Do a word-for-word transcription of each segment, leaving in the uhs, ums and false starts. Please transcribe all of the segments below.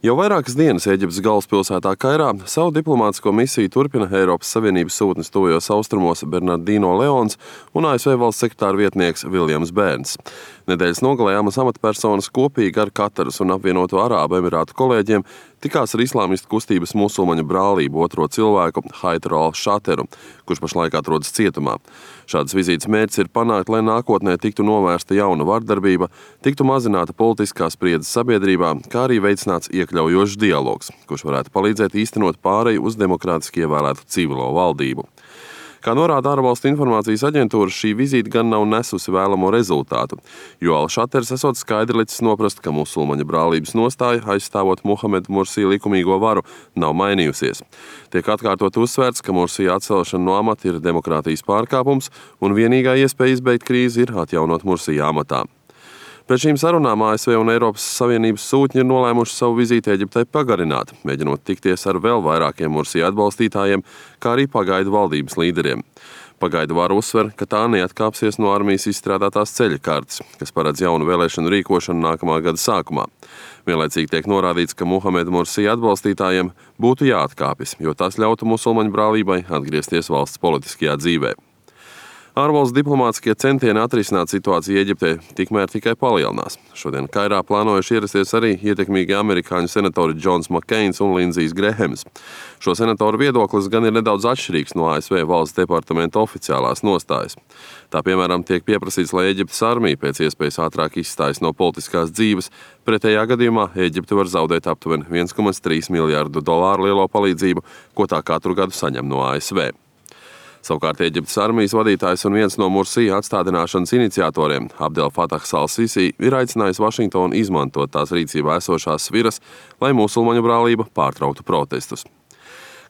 Jau vairākas dienas Ēģiptes galvaspilsētā Kairā savu diplomātisko misiju turpina Eiropas Savienības sūtnis tuvajos austrumos Bernardino Leons un A S V valsts sekretāra vietnieks Viljams Bērns. Nedēļas nogalē amas amatpersonas kopīgi ar Kataras un apvienoto Arābu Emirātu kolēģiem tikās ar islāmistu kustības musulmaņu brālību otro cilvēku Haidru al-Šateru, kurš pašlaik atrodas cietumā. Šādas vizītes mērķis ir panākt, lai nākotnē tiktu novērsta jauna vardarbība, tiktu mazināta politiskā spriedze sabiedrībā, kā arī veicināts iekļaujošs dialogs, kurš varētu palīdzēt īstenot pāreju uz demokrātiski ievēlētu civilo valdību. Kā norāda ārvalstu informācijas aģentūra, šī vizīte gan nav nesusi vēlamo rezultātu, jo al-Šaters esot skaidri licis noprast, ka musulmaņu brālības nostāja, aizstāvot Muhamedu Mursī likumīgo varu, nav mainījusies. Tiek atkārtot uzsvērts, ka Mursī atcelšana no amata ir demokrātijas pārkāpums un vienīgā iespēja izbeigt krīzi ir atjaunot Mursī amatā. Pēc šīm sarunām A S V un Eiropas Savienības sūtņi ir nolēmuši savu vizīti Eģiptei pagarināt, mēģinot tikties ar vēl vairākiem Mursī atbalstītājiem, kā arī pagaidu valdības līderiem. Pagaidu vara uzsver, ka tā neatkāpsies no armijas izstrādātās ceļa kartes, kas paredz jaunu vēlēšanu rīkošanu nākamā gada sākumā. Vienlaicīgi tiek norādīts, ka Muhamedu Mursī atbalstītājiem būtu jāatkāpjas, jo tas ļautu musulmaņu brālībai atgriezties valsts politiskajā dzīvē. Ārvalstu diplomātiskie centieni atrisināt situāciju Eģiptē tikmēr tikai palielinās. Šodien Kairā plānojuši ierasties arī ietekmīgi amerikāņu senatori Džons Makkeins un Lindzijs Grehams. Šo senatoru viedoklis gan ir nedaudz atšķirīgs no A S V valsts departamenta oficiālās nostājas. Tā piemēram tiek pieprasīts, lai Eģiptes armija pēc iespējas ātrāk izstājas no politiskās dzīves, pretējā gadījumā Eģipte var zaudēt aptuveni viens komats trīs miljārdu dolāru lielo palīdzību, ko tā katru gadu saņem no A S V. Savukārt Eģiptes armijas vadītājs un viens no Mursī atstādināšanas iniciatoriem, Abdel Fatahs al-Sisi, ir aicinājis Vašingtonu izmantot tās rīcībā esošās sviras, lai musulmaņu brālība pārtrauktu protestus.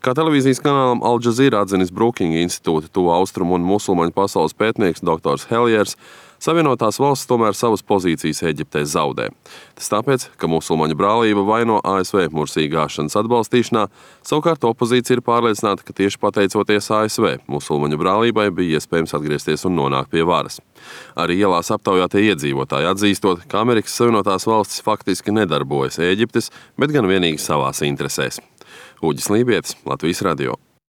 Kā televīzijas kanālam Al Jazeera atzinis Brookings institūta tuvu austrumu un musulmaņu pasaules pētnieks doktors Heliers, Savienotās valstis tomēr savas pozīcijas Eģiptē zaudē. Tas tāpēc, ka musulmaņu brālība vaino A S V Mursī gāšanas atbalstīšanā, savukārt opozīcija ir pārliecināta, ka tieši pateicoties A S V musulmaņu brālībai bija iespējams atgriezties un nonākt pie varas. Arī ielās aptaujātie iedzīvotāji atzīstot, ka Amerikas Savienotās valstis faktiski nedarbojas Ēģiptes, bet gan vienīgi savās interesēs. Uģis Lībietis, Latvijas radio.